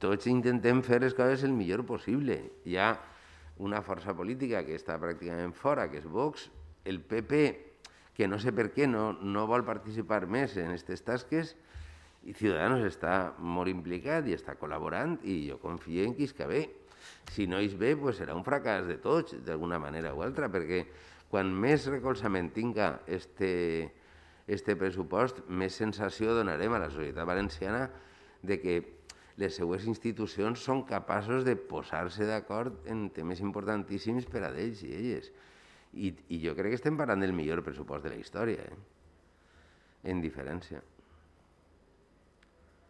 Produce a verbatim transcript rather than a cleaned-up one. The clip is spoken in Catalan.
tots intentem fer les coses el millor possible. Hi ha una força política que està pràcticament fora, que és Vox, el P P, que no sé per què no, no vol participar més en aquestes tasques, i Ciudadanos està molt implicat i està col·laborant, i jo confio en que isca bé. Si no és bé, pues serà un fracàs de tots, d'alguna manera o altra, perquè quan més recolzament tinga este, este pressupost, més sensació donarem a la societat valenciana de que les seues institucions són capaços de posar-se d'acord en temes importantíssims per a ells i elles. I, i jo crec que estem parlant del millor pressupost de la història, eh? En diferència.